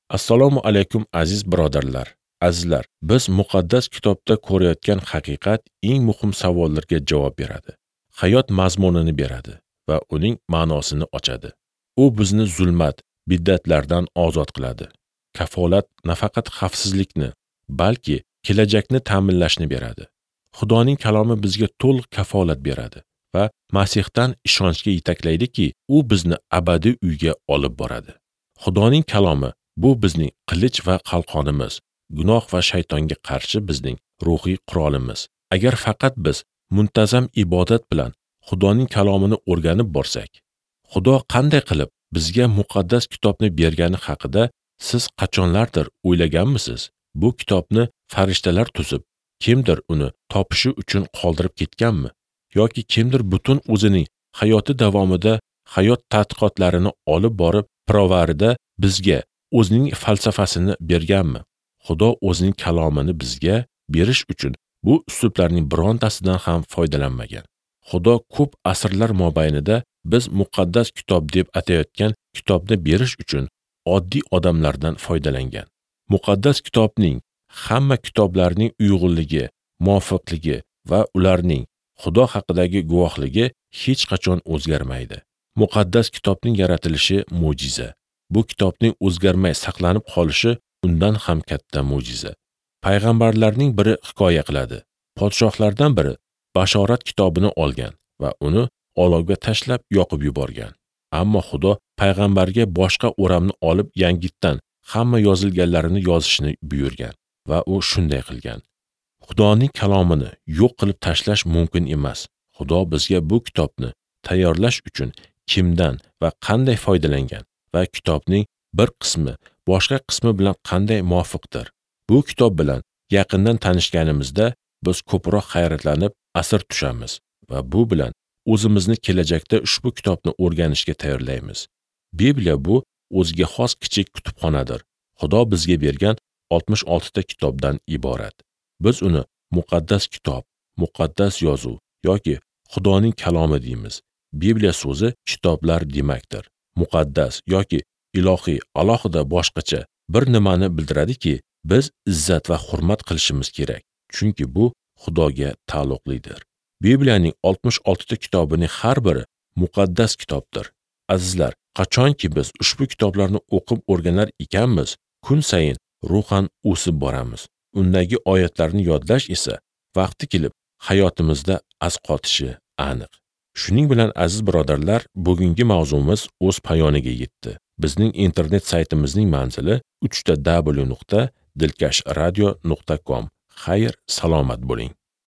Assalomu alaykum aziz birodarlar. Azizlar, biz muqaddas kitobda ko'rayotgan haqiqat eng muhim savollarga javob beradi. Hayot mazmunini beradi va uning ma'nosini ochadi. U bizni zulmat, bid'atlardan ozod qiladi. Kafolat nafaqat xavfsizlikni, balki kelajakni ta'minlashni beradi. Xudoning kalomi bizga to'liq kafolat beradi va Masihdan ishonchga yetaklaydiki, u bizni abadiy uyga olib boradi. Xudoning kalomi bu bizning qilich va qalqonimiz, gunoh va shaytonga qarshi bizning ruhiy qurolimiz. Agar faqat biz muntazam ibodat bilan Xudoning kalomini o'rganib borsak, Xudo qanday qilib bizga muqaddas kitobni bergani haqida siz qachonlardir o'ylaganmisiz? Bu kitobni farishtalar tuzib, kimdir uni topishi uchun qoldirib ketganmi? Yoki kimdir butun o'zining hayoti davomida hayot tadqiqotlarini olib borib, pirovarida bizga o'zining falsafasini berganmi? Xudo o'zining kalomini bizga berish uchun bu uslublarning birontasidan ham foydalanmagan. Xudo ko'p asrlar mobaynida biz muqaddas kitob deb atayotgan kitobni berish uchun oddiy odamlardan foydalangan. Muqaddas kitobning hamma kitoblarning uyg'unligi, muvofiqligi va ularning Xudo haqidagi guvohligi hech qachon o'zgarmaydi. Muqaddas kitobning yaratilishi mo'jiza. Bu kitobning o'zgarmay saqlanib qolishi undan ham katta mo'jiza. Payg'ambarlarning biri hikoya qiladi. Podshohlardan biri Bashorat kitobini olgan va uni olovga tashlab yoqib yuborgan. Ammo Xudo payg'ambarga boshqa o'ramni olib yangitdan hamma yozilganlarini yozishni buyurgan va u shunday qilgan. Xudoning kalomini yo'q qilib tashlash mumkin emas. Xudo bizga bu kitobni tayyorlash uchun kimdan va qanday foydalangan va kitobning bir qismi boshqa qismi bilan qanday muvofiqdir. Bu kitob bilan yaqindan tanishganimizda biz ko'proq hayratlanib asir tushamiz va bu bilan o'zimizni kelajakda ushbu kitobni o'rganishga tayyorlaymiz. Bibliya bu o'ziga xos kichik kutubxonadir. Xudo bizga bergan 66 ta kitobdan iborat. Biz uni muqaddas kitob, muqaddas yozuv yoki Xudoning kalomi deymiz. Bibliya so'zi kitoblar demakdir. Muqaddas yoki ilohiy alohida boshqacha bir nimani bildiradiki, biz izzat va hurmat qilishimiz kerak, chunki bu Xudoga taalluqlidir. Bibliyaning 66 ta kitobining har biri muqaddas kitobdir. Azizlar, qachonki biz ushbu kitoblarni o'qib o'rganar ekanmiz, kun sayin ruhan o'sib boramiz. Undagi oyatlarni yodlash esa vaqti kelib hayotimizda asqotishi aniq. Shuning bilan aziz birodarlar, bugungi mavzumiz o'z poyoniga yetdi. Bizning internet saytimizning manzili www.dilkashradio.com. Xayr, salomat bo'ling.